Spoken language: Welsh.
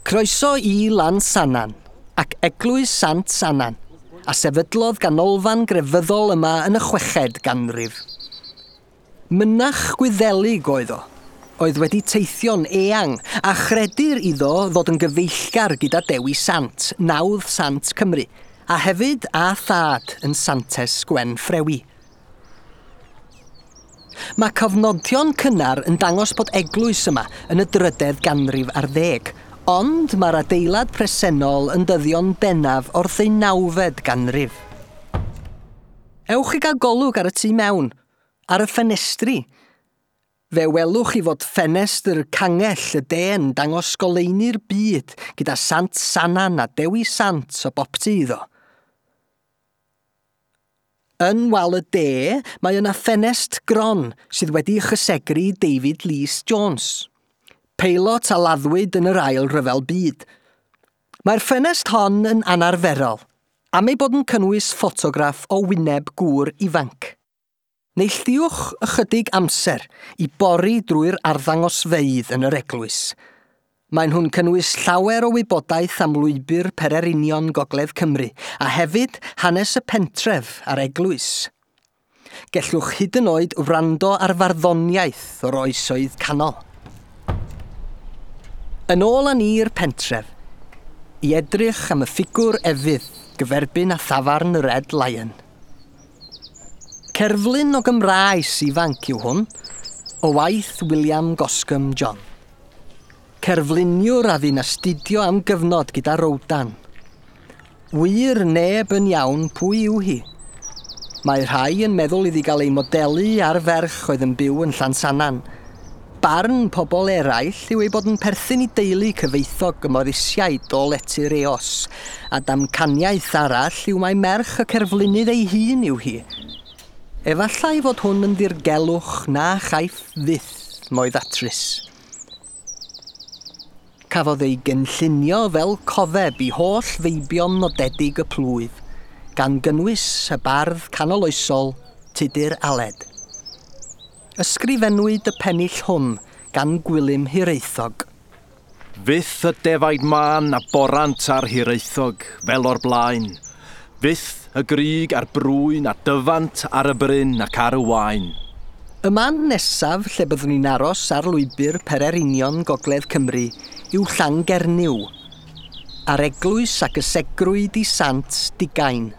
Croeso i Lansannan ac Eglwys Sant Sannan, a sefydlodd ganolfan grefyddol yma yn y chweched ganrif. Mynach Gwyddelig oedd o, oedd wedi teithio'n eang, a chredir iddo ddod yn gyfeillgar gyda Dewi Sant, nawdd Sant Cymru, a hefyd â thad yn Santes Gwen Ffrewi. Mae cofnodion cynnar yn dangos bod eglwys yma yn y drydedd ganrif ar ddeg, ond mae'r adeilad presennol yn dyddio'n bennaf o'r ddeunawfed ganrif. Ewch i gael golwg ar y tu mewn, ar y ffenestri. Fe welwch chi fod ffenestr cangell y de'n dangos goleuni'r byd gyda Sant Sanan a Dewi Sant o boptu iddo. Yn wal y de, mae yna ffenest gron sydd wedi chysegru David Lees Jones, peilot a laddwyd yn yr Ail Ryfel Byd. Mae'r ffenest hon yn anarferol, am ei bod yn cynnwys ffotograff o wyneb gŵr ifanc. Neilltuwch ychydig amser i bori drwy'r arddangosfeydd yn yr eglwys. Maen nhw'n cynnwys llawer o wybodaeth am lwybr pererinion Gogledd Cymru, a hefyd hanes y pentref a'r eglwys. Gellwch hyd yn oed wrando ar farddoniaeth o'r oesoedd canol. Yn ôl â ni i'r pentref, i edrych am y ffigwr efydd gyferbyn â thafarn y Red Lion. Cerflun o Gymraes ifanc yw hwn, o waith William Goscombe John. Cerfluniwr a fu'n astudio am gyfnod gyda Rodin. Wir neb yn iawn pwy yw hi. Mae rhai yn meddwl iddi gael ei modelu ar ferch oedd yn byw yn Llansannan. Barn pobl eraill yw ei bod yn perthyn i deulu cyfoethog y Morisiaid o Lety'r Eos, a damcaniaeth arall yw mai merch y cerflunydd ei hun yw hi. Efallai fod hwn yn ddirgelwch na chaiff fyth mo'i ddatrys. Cafodd ei gynllunio fel cofeb i holl feibion nodedig y plwyf, gan gynnwys y bardd canoloesol Tudur Aled. Ysgrifennwyd y pennill hwn gan Gwilym Hiraethog. Fyth y defaid mân a borant ar Hiraethog, fel o'r blaen. Fyth y grug a'r brwyn a dyfant ar y bryn ac ar y waen. Y man nesaf lle byddwn ni'n aros ar lwybr pererinion Gogledd Cymru yw Llangernyw, a'r eglwys a gysegrwyd i Sant Digain.